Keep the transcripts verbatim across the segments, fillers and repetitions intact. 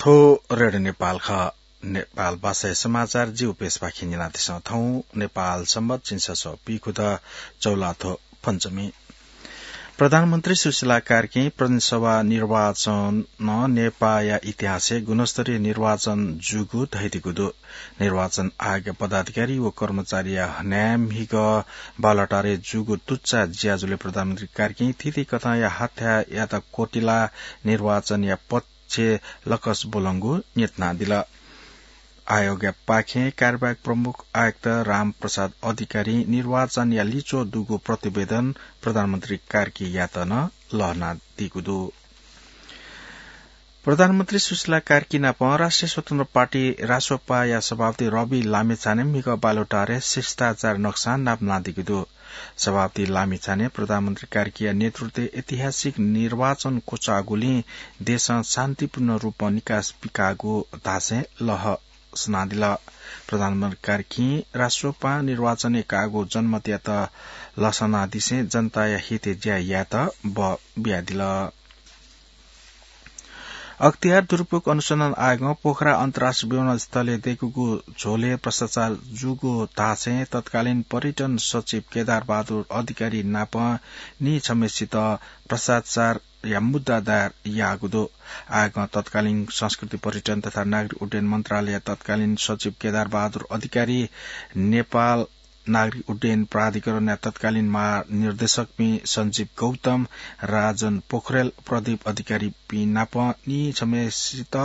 थ्व रेडियो नेपाल खः। नेपाल भाषाया समाचार जिगु पेजपाखें न्यनादिसँ। थौं नेपाल संवत् झिंछसः पीखुदँ चौलाथ्व पञ्चमी। प्रधानमन्त्री सुशीला कार्कीं प्रदेशसभा निर्वाचन नेपाःया इतिहासय् गुणस्तरीय निर्वाचन जूगु धयादीगु दु। निर्वाचन आयोगया पदाधिकारी व कर्मचारीया हनाय् म्हिगः बालटारय् जूगु तुच्चा ज्याझ्वलय् प्रधानमन्त्री कार्कीं थीथी कथंया हथाय् यात क्वतिलाः निर्वाचनया पक्ष लकस ब्वलंगु न्यनादिल। आयोगया पाखें कार्यवाहक प्रमुख आयुक्त रामप्रसाद अधिकारीं निर्वाचनया लिच्वः दुगु प्रतिवेदन प्रधानमन्त्री कार्कीयात नं लःल्हानादीगु दु। प्रधानमन्त्री सुशीला कार्की नाप राष्ट्रिय स्वतन्त्र पार्टी रासोपाया सभापति रवि लामिछाने म्हिगः बालुटारे शिष्टाचार नक्सां नापलानादीगु दु। सभापति लामिछाने प्रधानमन्त्री कार्कीया नेतृत्वय् ऐतिहासिक निर्वाचन क्वचाःगुलिं देशं शान्तिपूर्ण रूपं निकास पिकाःगु धासें लसनादिल। प्रधानमन्त्री कार्कीं रासोपां निर्वाचनय् काःगु जनमतयात लसनादिसें जनताया हितय् ज्या यायेत बः बियादिल। अख्तियार दुरुपयोग अनुसन्धान आयोगं पोखरा अन्तर्राष्ट्रिय विमानस्थलय् दय्कूगु झोलय् भ्रष्टाचार जूगु धासें तत्कालीन पर्यटन सचिव केदार बहादुर अधिकारी नाप निछम्हय्सित भ्रष्टाचारया मुद्दा दायर याःगु दु। आयोगं तत्कालीन संस्कृति, पर्यटन तथा नागरिक उड्डयन मन्त्रालयया तत्कालीन सचिव केदार बहादुर अधिकारी, नेपाल नागरिक उड्डयन प्राधिकरणया तत्कालीन महानिर्देशकपिं सञ्जीव गौतम, राजन पोखरेल, प्रदीप अधिकारीपिं नाप निछम्हय्सित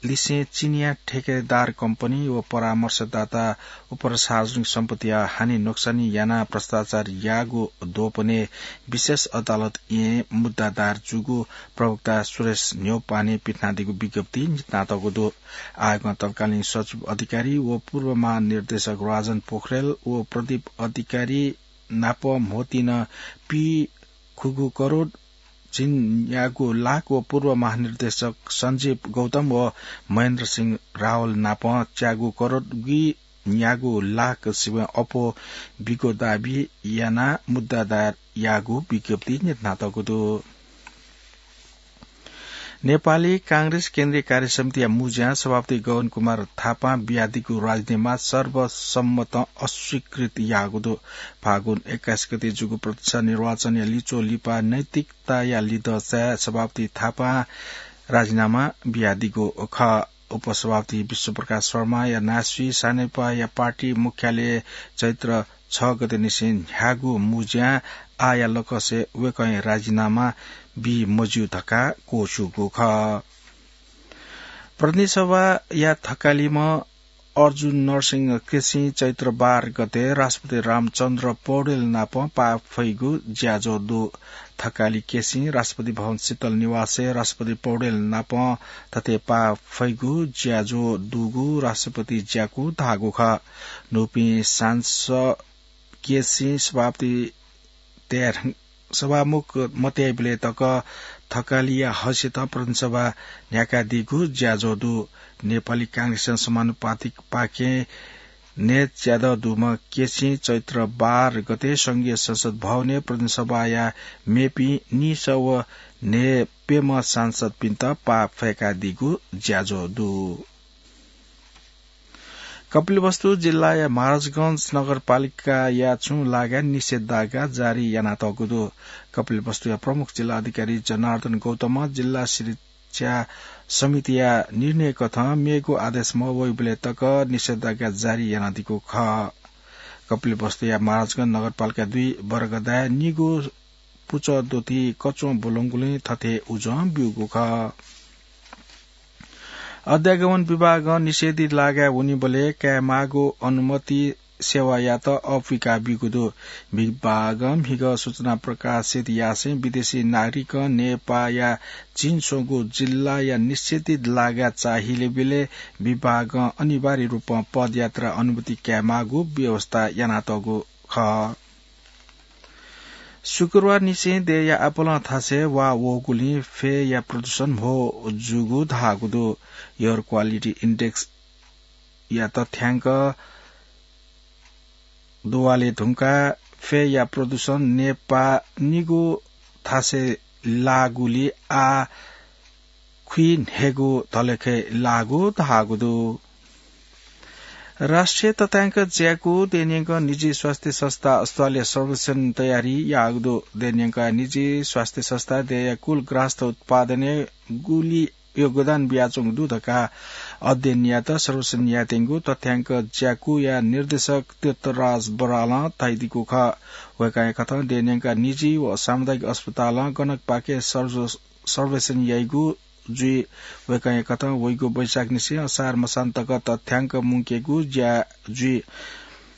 लिसें चिनियाँ ठेकेदार कम्पनी व परामर्शदाता उपसार्वजनिक सम्पत्तिया हानि नोक्सानी यानाः भ्रष्टाचार याःगु द्वपनय् विशेष अदालतय् मुद्दा दायर जूगु प्रवक्ता सुरेश न्यौपाने पिथनादीगु विज्ञप्ति न्यनातःगु दु। आयोगं तत्कालीन सचिव अधिकारी व पूर्व महानिर्देशक राजन पोखरेल व प्रदीप अधिकारी नाप म्होतिन पी खुगू करोड झिंन्यागू लाख व पूर्व महानिर्देशक सञ्जीव गौतम व महेन्द्र सिंह रावल नाप च्यागू करोड गुइन्यागू लाख सिबें अप्वः बीगु दाबी यानाः मुद्दा दायर याःगु विज्ञप्ति न्यनातःगु दु। नेपाली कांग्रेस केन्द्रीय कार्य समितिया मुँज्यां सभापति गगन कुमार थापां बियादीगु राजीनामा सर्वसम्मतं अस्वीकृत याःगु दु। फागुन एक्काइस गते जूगु प्रत्यक्ष निर्वाचनया लिच्वः लिपा नैतिकताया लिधंचाय् सभापति थापां राजीनामा बियादीगु खः। उपसभापति विश्वप्रकाश शर्माया नासि सानेपाया पार्टी मुख्यालयय् चैत्र छ गते निसें न्ह्याःगु मुँज्यां आःया लकसय् वय्कलं राजीनामा बी मज्यू धकाः क्वछुगु खः। प्रतिनिधि सभाया थकालिम्ह अर्जुन नरसिंह केसीं चैत्र बाह्र गते राष्ट्रपति रामचन्द्र पौडेल नाप पाः फइगु ज्याझ्वः दु। थकालि केसीं राष्ट्रपति भवन शीतल निवासय् राष्ट्रपति पौडेल नाप थथे पाः फइगु ज्याझ्वः दुगु राष्ट्रपति ज्याकू धाःगु खः। न्हूपिं सांसद केसीं सभापति तयार सभामुख मतयाइबलय् तक थकालिया हैसियतं प्रतिनिधि सभा न्ह्याकादीगु ज्याझ्वः दु। नेपाली कांग्रेसं समानुपातिक पाखें नये च्यादँ दुम्ह केसीं चैत्र बाह्र गते संघीय संसद भवनय् प्रतिनिधि सभाया मेपिं निसः व न्हय्प्यम्ह सांसदपिन्त पाः फय्कादीगु ज्याझ्वः दु। कपिलवस्तु जिल्लाया महाराजगंज नगरपालिकाया छुं लागाय् निषेधाज्ञा जारी यानातःगु दु। कपिलवस्तुया प्रमुख जिल्ला अधिकारी जनार्दन गौतमं जिल्ला शिक्षा समितिया निर्णय कथं मेगु आदेश मवइबलय् तक निषेधाज्ञा जारी यानादीगु खः। कपिलवस्तुया महाराजगंज नगरपालिका दुई वर्गदाय् निगू पुचः द्वथि कच्वं ब्वलंगुलिं थथे उजं ब्यूगु खः। अध्यागमन विभागं निषेधित लागाय् वनीबलय् कायेमाःगु अनुमति सेवायात अःपुइका ब्यूगु दु। विभागं म्हिगः सूचना प्रकाशित यासें विदेशी नागरिकं नेपाःया चिंस्वंगू जिल्लाया निषेधित लागाय् चाहिलेबलय् विभागं अनिवार्य रूपं पदयात्रा अनुमति कायेमाःगु व्यवस्था यानातःगु खः। शुक्रबार निसें देय्‌या आपालं थासय् वा वःगुलिं फय्‌या प्रदूषण म्हो जूगु धाःगु दु। Air Quality Index या तथ्यांक दुवाले धुंकाः फय्‌या प्रदूषण नेपाः निगू थासय् लाःगुलिं आः खुइन्हय्गु धलेखय् लाःगु धाःगु दु। राष्ट्रिय तथ्याङ्क ज्याकू देय्‌न्यंक निजी स्वास्थ्य संस्था अस्पतालया सर्वेक्षण तयारी याःगु दु। देय्‌न्यंक निजी स्वास्थ्य संस्था देय्‌या कुल ग्राहस्थ उत्पादनय् गुलि योगदान बियाच्वंगु दु धकाः अध्ययन यायेत सर्वेक्षण यायेत्यंगु तथ्याङ्क ज्याकूया निर्देशक तीर्थराज बरालं धयादीगु खः। वय्‌कःया कथं देय्‌न्यंक निजी व सामुदायिक अस्पतालं गनकपाखे सर्व-, सर्वेक्षण याइगु जुइ। वय्‌कःया कथं वइगु वैशाखनिसें असार मसान्तक तथ्याङ्क मुंकेगु ज्या जुइ।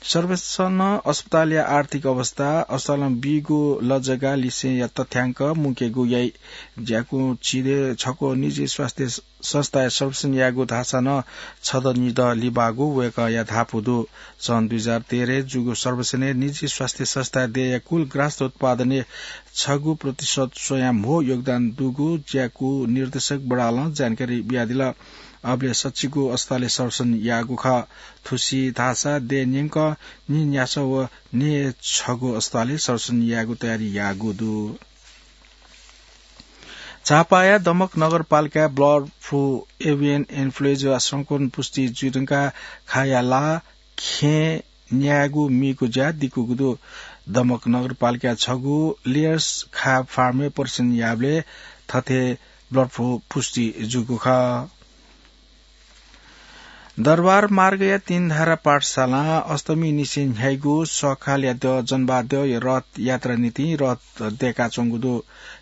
सर्वेक्षणं अस्पतालया आर्थिक अवस्था, अस्पतालं बीगु लजगाः लिसेंया तथ्याङ्क मुंकेगु याइ। ज्याकूं झिदँ छक्व निजी स्वास्थ्य संस्थाया सर्वेक्षण यायेगु धाःसा नं छदँ निदँ लिबाःगु वय्‌कःया धापू दु। सन् दुई हजार तेह्रय् जूगु सर्वेक्षणय् निजी स्वास्थ्य संस्थाया देय्‌या कुल ग्राहस्थ उत्पादनय् छगू प्रतिशत स्वयां म्हो योगदान दुगु ज्याकू निर्देशक बरालं जानकारी बियादिल। अबलय् सच्चिगू अस्पतालय् सर्वेक्षण याःगु खः। थुसी धाःसा देय्‌न्यंक नीन्यासः व नय् छगू अस्पतालय् सर्वेक्षण यायेगु तयारी याःगु दु। झापाया दमक नगरपालिकाय् बर्ड फ्लू, एभियन इन्फ्लुएन्जा संक्रमण पुष्टि जुइ धुंकाः खाया ला खेँ न्यायेगु मीगु ज्या दिकूगु दु। दमक नगरपालिकाय् छगू लेयर्स खा फार्मय् परीक्षण याःबलय् थथे बर्ड फ्लू पुष्टि जूगु खः। दरबार मार्गया तीनधारा पाठशालां अष्टमी निसें न्ह्याइगु सःखालया द्यः जनबाद्यःया रथ यात्रा निंतिं रथ दय्‌काच्वंगु दु।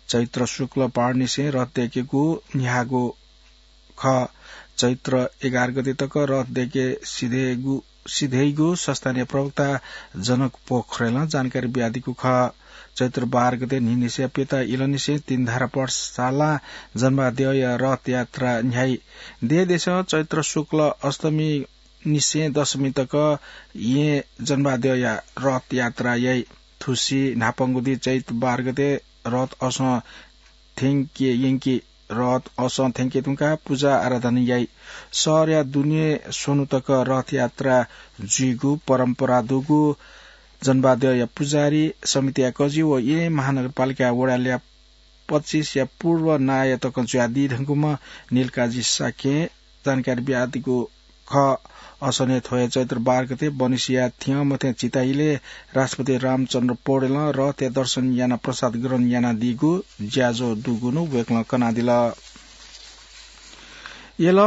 चैत्र शुक्ल बार निसें रथ दय्‌केगु न्ह्याःगु खः। चैत्र एघार गते तक रथ दय्‌के सिधयेगु, सिधयेगु संस्थानया प्रवक्ता जनक पोखरेलं जानकारी बियादीगु खः। चैत्र बाह्र गते न्हिनिसें प्यता इलंनिसें तीनधारा पाठशालां जनबाद्यःया रथ यात्रा न्ह्याइ। देय्‌देशं चैत्र शुक्ल अष्टमी निसें दशमी तक येँ जनबाद्यःया रथ यात्रा याइ। थुसी न्हापांगु दिं चैत बाह्र गते रथ असं थ्यंके यंकी। रथ असं थ्यंके धुंकाः पुजा आराधना याइ। शहरया दुने स्वन्हु तक रथ यात्रा जुइगु परम्परा दुगु जनबाद्यःया पुजारी समितिया कजि व येँ महानगरपालिका वडा ल्याः पच्चिसया पूर्व नायः तकं जुयादी धुंकूम्ह नीलकाजी शाक्यं जानकारी बियादीगु खः। असंनिसें थ्व हे चैत्र बाह्र गते बनिसिया थियं मथें चिताइलय् राष्ट्रपति रामचन्द्र पौडेलं रथया दर्शन यानाः प्रसाद ग्रहण यानादीगु ज्याझ्वः दुगु नं वय्‌कलं कनादिल। यल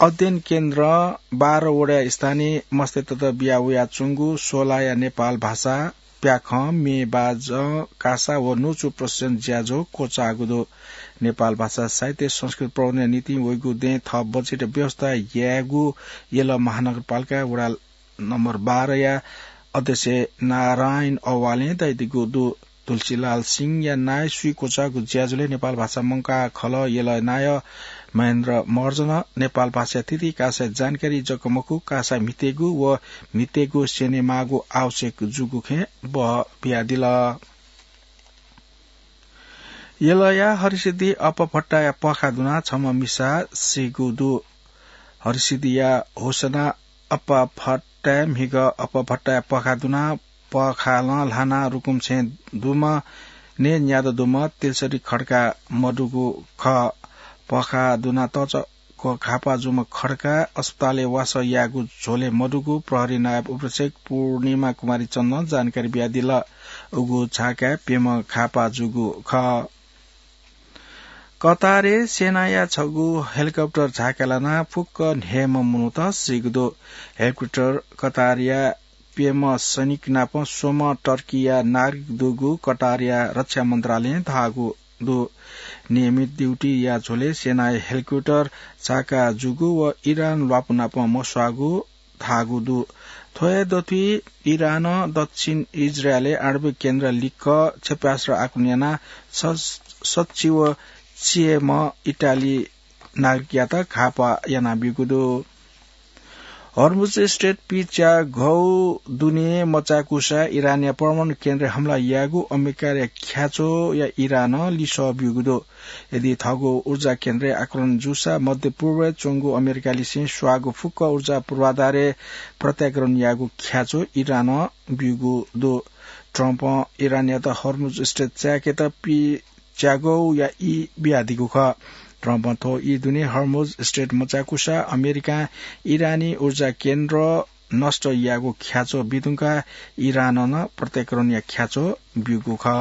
अध्ययन केन्द्रं बाह्र वडा स्थानीय मस्तय्‌तय्‌त बिया वयाच्वंगु सोलाया नेपाल भाषा प्याखं, म्ये बाजं, कासा व न्वचु प्रशिक्षण ज्याझ्वः क्वचाःगु दु। नेपाल भाषा साहित्य संस्कृति प्रवर्धनया निंतिं वइगु दँय् थः बजेट व्यवस्था यायेगु यल महानगरपालिका वडा नम्बर बाह्रया अध्यक्ष नारायण अवालें धयादीगु दु। तुलसीलाल सिंहया नायःसुइ क्वचाःगु ज्याझ्वलय् नेपाल भाषा मंकाः खलः यलया नायः महेन्द्र महर्जनं नेपाल भाषाया थीथी कासाया जानकारी जक मखु, कासा म्हितेगु व म्हितेगु स्यनेमाःगु आवश्यक जूगु खँय् बहः बियादिल। यलया हरिसिद्धि अप्पा भट्टाया पःखाः दुनाः छम्ह मिसा सीगु दु। हरिसिद्धिया होसना अप्पा भट्टाया म्हिगः अप्पा भट्टाया पःखाः दुनाः पःखालं ल्हानाः रुकुम छेँ दुम्ह, नये न्यादँ दुम्ह तेलसरी खड्का मदुगु खः। पःखाः दुनाः तःचा क घाःपाः जूम्ह खड्का अस्पतालय् वासः यायेगु झ्वलय् मदुगु प्रहरी नायब उपरीक्षक पूर्णिमा कुमारी चन्दं जानकारी बियादिल। उगु झाकाय् प्यम्ह घाःपाः जूगु खः। कतारय् सेनाया छगू हेलिकप्टर झाकाय् लानाः फुक्क न्हय्म्ह मनूत सीगु दु। हेलिकप्टर कतारया प्यम्ह सैनिक नाप स्वम्ह टर्कीया नागरिक दुगु कतारया रक्षा मन्त्रालयं धाःगु दु। नियमित ड्युटीया झ्वलय् सेनाया हेलिकप्टर झाका जूगु व इरान ल्वापु नाप मस्वाःगु धाःगु दु। थ्व हे दथुइ इरानं दक्षिण इजरायलय् आणविक केन्द्र लिक्क क्षेपणास्त्र आक्रमण यानाः स-, सच्छि व चियेम्ह इटाली नागरिकयात घाःपाः यानाब्यूगु दु। हर्मुज स्ट्रेट पिच्यागौ दुने मचाय्कूसा इरानया परमाणु केन्द्रय् हमला यायेगु अमेरिकाया ख्याच्वःया इरानं लिसः ब्यूगु दु। यदि थःगु ऊर्जा केन्द्रय् आक्रमण जूसा मध्य पूर्वय् च्वंगु अमेरिकालिसें स्वाःगु फुक्क ऊर्जा पूर्वाधारय् प्रत्याक्रमण यायेगु ख्याच्वः इरानं ब्यूगु दु। ट्रम्पं इरानयात हर्मुज स्ट्रेट चाय्केत पिच्यागौया ई बियादीगु खः। ट्रम्पं थ्व ई दुने हर्मुज स्ट्रेट मचाकुसा अमेरिकां इरानी ऊर्जा केन्द्र नष्ट याःगु ख्याच्वः बिधुंकाः इरानं नं प्रत्याक्रमणया ख्याच्वः ब्यूगु खः।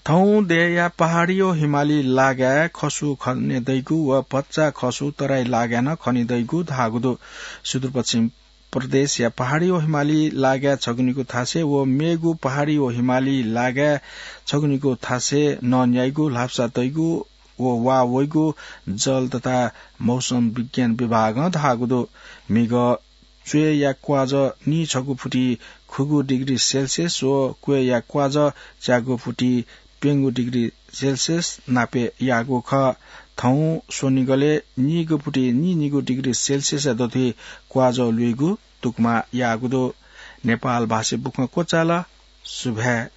थौं देय्‌या पहाडी व हिमाली लागाय् खसु खने दइगु व भचा खसु तराई लागाय् नं खने दइगु धाःगु दु। सुदूरपश्चिम प्रदेशया पहाडी व हिमाली लागाय् छगुनिगु थासय् व मेगु पहाडी व हिमाली लागाय् छगुनिगु थासय् नन्याइगु ल्हापसा दइगु व वा वइगु जल तथा मौसम विज्ञान विभागं धाःगु दु। म्हिगः च्वय्‌या क्वाजः नीछगू फुति खुगू डिग्री सेल्सियस व क्वय्‌या क्वाजः च्यागू फुति प्यंगू डिग्री सेल्सियस नापय् याःगु खः। थौं स्वनिगलय् नीगू फुति नीनिगू डिग्री सेल्सियसया दथुइ क्वाजः लुइगु तुकमा याःगु दु। नेपाल भाषा बुखँ क्वचाल। सुभाय्।